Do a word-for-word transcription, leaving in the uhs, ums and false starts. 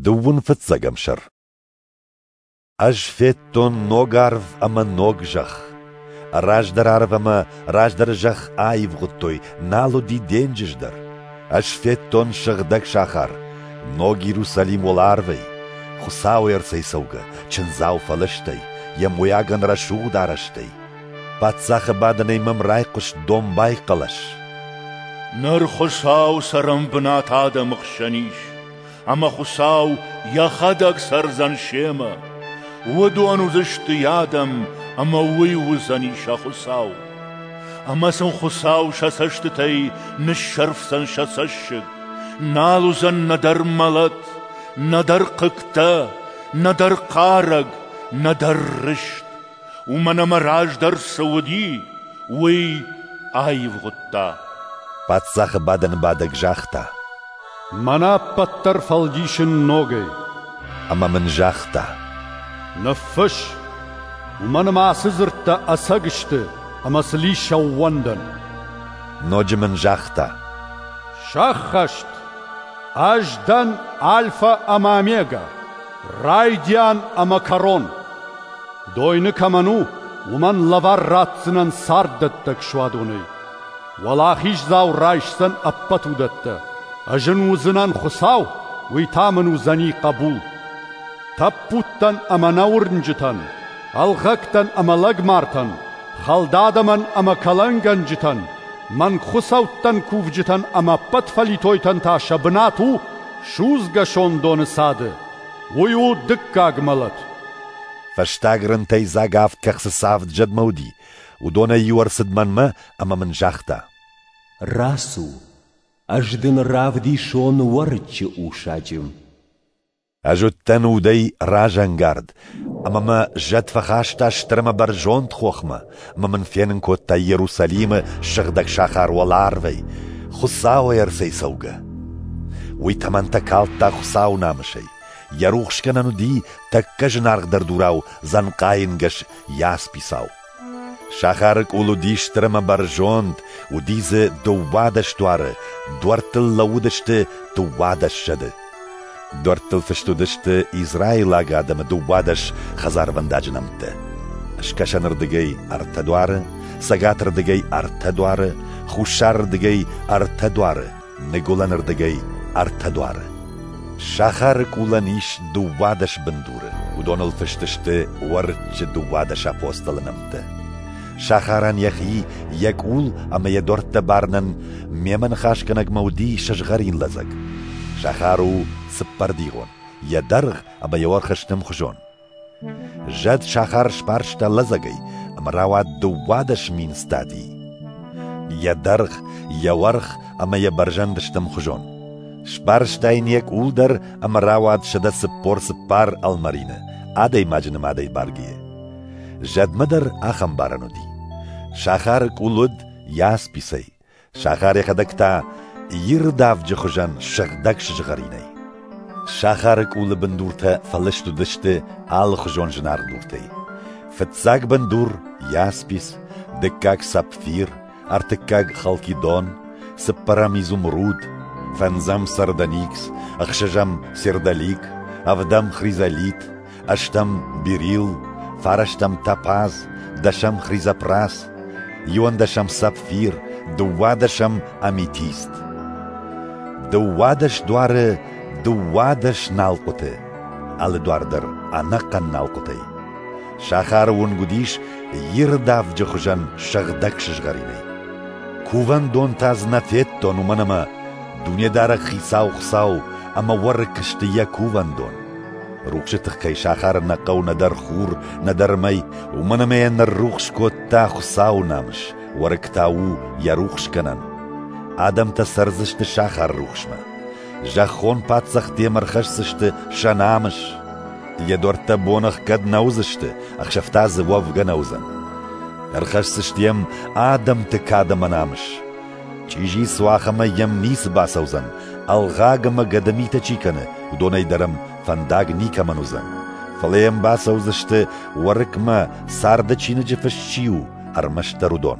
Дыууын фыццӕгӕм сӕр. Ӕз федтон ног арв ӕмӕ ног зӕхх. Раздӕр арв ӕмӕ раздӕры зӕхх аивгъуыдтой, нал уыди денджыз дӕр. Ӕз федтон сыгъдӕг сахар, ног Иерусалим уӕларвӕй, Хуыцауӕй ӕрцӕйцӕугӕ, чындзау фӕлыстӕй, йӕ мойагӕн рӕсугъд арӕзтӕй. Паддзахы бадӕнӕй мӕм райхъуыст домбай хъӕлӕс. Ныр Хуыцау цӕрӕнбынат адӕмы хсӕн ис, ӕмӕ Хуыцау йӕхӕдӕг цӕрдзӕн семӕ. Уыдон уыдзысты йӕ адӕм, ӕмӕ уый уыдзӕни сӕ Хуыцау. Ӕмӕ сын Хуыцау сӕ цӕстытӕй ныссӕрфдзӕн сӕ цӕссыг. Нал уыдзӕн нӕдӕр мӕлӕт, нӕдӕр хъыгтӕ, нӕдӕр хъарӕг, нӕдӕр рыст. Уымӕн ӕмӕ раздӕр цы уыди, уый аивгъуыдта. Паддзахы бадӕны бадӕг загъта: Мӕнӕ ӕппӕт дӕр фӕлдисын ногӕй. Ӕмӕ мын загъта: Ныффысс, уымӕн ӕмӕ ацы дзырдтӕ ӕцӕг сты ӕмӕ сыл ис ӕууӕндӕн. Ноджы мын загъта: Сӕххӕст! Ӕз дӕн Альфа ӕмӕ Омега, райдиан ӕмӕ кӕрон. Дойны кӕмӕн у, уымӕн лӕвар ратдзынӕн царддӕттӕг суадонӕй. Уӕлахиздзау райсдзӕн ӕппӕт уыдӕттӕ. Ӕз ын уыдзынӕн Хуыцау, уый та мын уыдзӕни хъӕбул. Тӕппудтӕн ӕмӕ нӕуырнджытӕн, ӕлгъӕгтӕн ӕмӕ лӕгмартӕн, хӕлд адӕмӕн ӕмӕ кӕлӕнгӕнджытӕн, мӕнгхуыцӕуттӕн кувджытӕн ӕмӕ ӕппӕт фӕлитойтӕн та сӕ бынат у судзгӕ сондоны цады. Уый у дыккаг мӕлӕт. Фӕстаг рынтӕй дзаг авд кӕхцы цы авд зӕдмӕ уыди, уыдонӕй иу ӕрцыд мӕнмӕ ӕмӕ мын загъта: Рацу, ӕз дын равдисон уӕрыччы усаджы. Ӕз уыдтӕн удӕй разӕнгард, ӕмӕ мӕ зӕд фӕхаста стыр ӕмӕ бӕрзонд хохмӕ, ӕмӕ мын фенын кодта Иерусалимы сыгъдӕг сахар уӕларвӕй, Хуыцауӕй ӕрцӕйцӕугӕ. Уый тӕмӕнтӕ калдта Хуыцауы намысӕй. Йӕ рухсгӕнӕн уыди тӕккӕ зынаргъдӕр дурау дзӕнхъайы нгӕс ясписау. Сахары къул уыди стыр ӕмӕ бӕрзонд, уыди дзы дыууадӕс дуары, дуӕрттыл лӕууыдысты дыууадӕс зӕды. Дуӕрттыл фыст уыдысты израилаг адӕмы дыууадӕс хӕдзарвӕндаджы нӕмттӕ. Скӕсӕнырдыгӕй ӕртӕ дуары, цӕгатырдыгӕй ӕртӕ дуары, хуссарырдыгӕй ӕртӕ дуары, ныгуылӕнырдыгӕй ӕртӕ дуары. Сахары къулӕн ис дыууадӕс бындуры, уыдоныл фыст сты уӕрыччы дыууадӕс апостолы нӕмттӕ. Сахарӕн йӕхи, йӕ къул ӕмӕ йӕ дуӕрттӕ барынӕн мемӕ ныхасгӕнӕгмӕ уыди сызгъӕрин лӕдзӕг. Сахар у цыппӕрдигъон, йӕ дӕргъ ӕмӕ йӕ уӕрх сты ӕмхуызон. Зӕд сахар сбарста лӕдзӕгӕй ӕмӕ рауад дыууадӕс мин стадийы. Йӕ дӕргъ, йӕ уӕрх ӕмӕ йӕ бӕрзӕнд сты ӕмхуызон. Сбарста йын йӕ къул дӕр ӕмӕ рауад сӕдӕ цыппор цыппар ӕлмӕрины, адӕймаджы нымадӕй баргӕйӕ. Зӕдмӕ дӕр ахӕм барӕн уыди. Сахары къул уыд ясписӕй, сахар йӕхӕдӕг та ирд авджы хуызӕн сыгъдӕг сызгъӕринӕй. Сахары къулы бындуртӕ фӕлыст уыдысты алыхуызон зынаргъ дуртӕй. Фыццаг бындур яспис, дыккаг сапфир, ӕртыккаг халкидон, цыппӕрӕм изумруд, фӕндзӕм сардоникс, ӕхсӕзӕм сердолик, ӕвдӕм хризолит, ӕстӕм берил, фарӕстӕм топаз, дӕсӕм хризопрас, иуӕндӕсӕм сапфир, дыууадӕсӕм аметист. Дыууадӕс дуары дыууадӕс налхъуыты, алы дуар дӕр ӕнӕхъӕн налхъуытӕй. Сахары уынг уыдис ирд авджы хуызӕн сыгъдӕг сызгъӕринӕй. Кувӕндон та дзы нӕ федтон, уымӕн ӕмӕ Дунедарӕг Хицау Хуыцау ӕмӕ уӕрыкк сты йӕ кувӕндон. Рухсы тыххӕй сахары нӕ хъӕуы нӕдӕр хур, нӕдӕр мӕй, уымӕн ӕмӕ йӕ ныррухс кодта Хуыцауы намыс, уӕрыкк та у йӕ рухсгӕнӕн. Адӕмтӕ цӕрдзысты сахары рухсмӕ. Зӕххон паддзӕхтӕ йӕм ӕрхӕсдзысты сӕ намыс. Йӕ дуӕрттӕ бон ӕхгӕд нӕ уыдзысты, ӕхсӕв та дзы уӕвгӕ нӕ уыдзӕн. Ӕрхӕсдзысты йӕм адӕмты кад ӕмӕ намыс. Чъизи цуах ӕмӕ йӕм ницы бацӕудзӕн, ӕлгъаг ӕмӕ гӕдымитӕ чи кӕны, уыдонӕй дӕр ӕм фӕндаг никӕмӕн уыдзӕн. Фӕлӕ йӕм бацӕудзысты уӕрыкмӕ, царды чиныджы фыст чи у, ӕрмӕстдӕр уыдон.